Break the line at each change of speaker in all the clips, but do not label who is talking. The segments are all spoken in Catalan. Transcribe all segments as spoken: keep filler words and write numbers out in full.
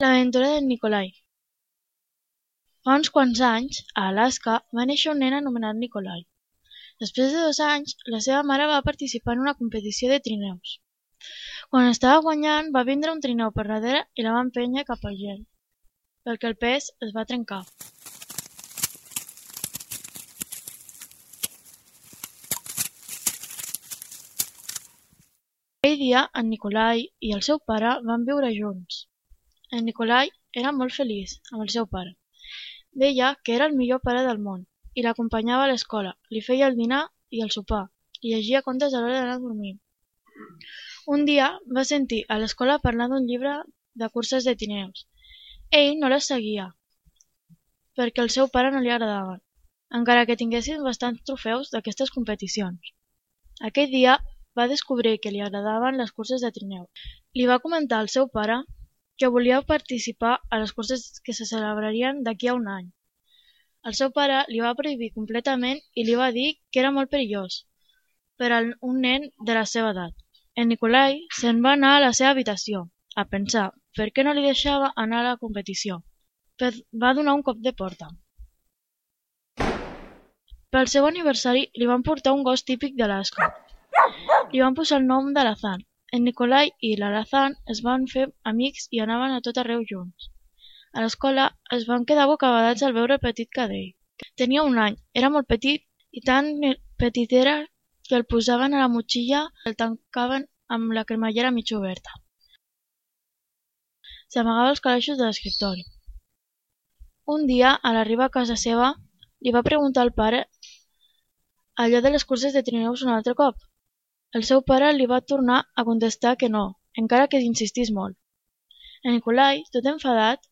L'aventura d'en Nikolai. Fa uns quants anys, a Alaska, va néixer un nen anomenat Nikolai. Després de dos anys, la seva mare va participar en una competició de trineus. Quan estava guanyant, va vindre un trineu per darrere i la va empènyer cap al gel, perquè el pes es va trencar. Aquell dia, en Nikolai i el seu pare van viure junts. En Nikolai era molt feliç amb el seu pare. Deia que era el millor pare del món i l'acompanyava a l'escola, li feia el dinar i el sopar, i llegia contes a l'hora d'anar a dormir. Un dia va sentir a l'escola parlar d'un llibre de curses de trineus. Ell no les seguia, perquè al seu pare no li agradaven, encara que tinguessin bastants trofeus d'aquestes competicions. Aquell dia va descobrir que li agradaven les curses de trineu. Li va comentar al seu pare que volia participar a les curses que se celebrarien d'aquí a un any. El seu pare li va prohibir completament i li va dir que era molt perillós per a un nen de la seva edat. En Nikolai se'n va anar a la seva habitació, a pensar per què no li deixava anar a la competició. Va donar un cop de porta. Pel seu aniversari li van portar un gos típic d'Alaska. Li van posar el nom d'Alazan. En Nikolai i l'Alazan es van fer amics i anaven a tot arreu junts. A l'escola es van quedar bocabadats al veure el petit cadell. Tenia un any, era molt petit i tan petit era que el posaven a la motxilla i el tancaven amb la cremallera mig oberta. S'amagava els calaixos de l'escriptori. Un dia, a l'arribar a casa seva, li va preguntar al pare allò de les curses de trineus un altre cop. El seu pare li va tornar a contestar que no, encara que insistís molt. En Nikolai, tot enfadat,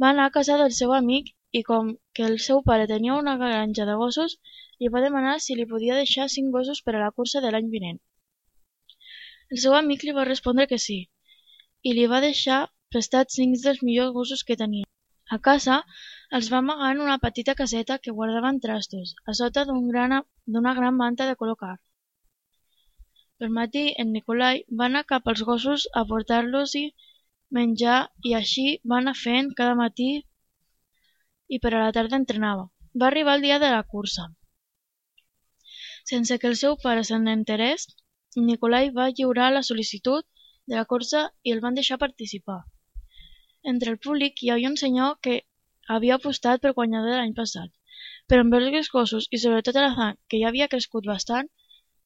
va anar a casa del seu amic i com que el seu pare tenia una granja de gossos, li va demanar si li podia deixar cinc gossos per a la cursa de l'any vinent. El seu amic li va respondre que sí, i li va deixar prestats cinc dels millors gossos que tenia. A casa, els va amagar en una petita caseta que guardaven trastos, a sota d'una gran manta de color carn. Pel matí, en Nikolai va anar cap als gossos a portar-los-hi menjar i així va anar fent cada matí i per a la tarda entrenava. Va arribar el dia de la cursa. Sense que el seu pare se n'enterés, Nikolai va lliurar la sol·licitud de la cursa i el van deixar participar. Entre el públic hi havia un senyor que havia apostat pel guanyador de l'any passat, però amb els gossos i sobretot l'Alazan, que ja havia crescut bastant,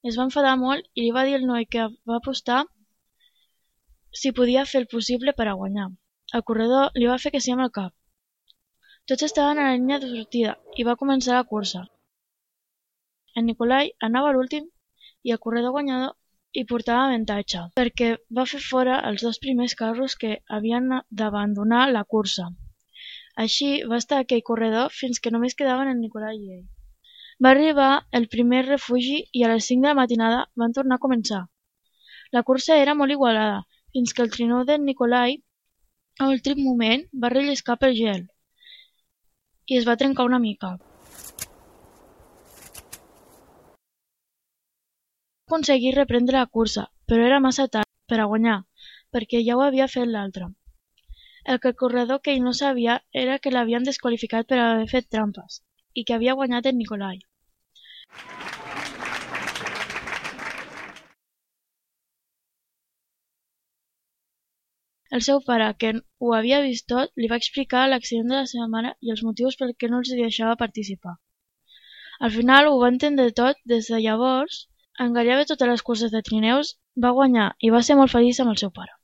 es va enfadar molt i li va dir al noi que va apostar si podia fer el possible per a guanyar. El corredor li va fer que sí amb el cap. Tots estaven a la línia de sortida i va començar la cursa. En Nikolai anava a l'últim i el corredor guanyador hi portava avantatge, perquè va fer fora els dos primers carros que havien d'abandonar la cursa. Així va estar aquell corredor fins que només quedaven en Nikolai i ell. Va arribar el primer refugi i a les cinc de la matinada van tornar a començar. La cursa era molt igualada, fins que el trineu d'en Nikolai, a l'últim moment, va relliscar pel gel i es va trencar una mica. Va aconseguir reprendre la cursa, però era massa tard per a guanyar, perquè ja ho havia fet l'altre. El que el corredor que ell no sabia era que l'havien desqualificat per haver fet trampes i que havia guanyat en Nikolai. El seu pare, que ho havia vist tot, li va explicar l'accident de la seva mare i els motius per què no els deixava participar. Al final ho va entendre tot. Des de llavors, en gairebé totes les curses de trineus va guanyar i va ser molt feliç amb el seu pare.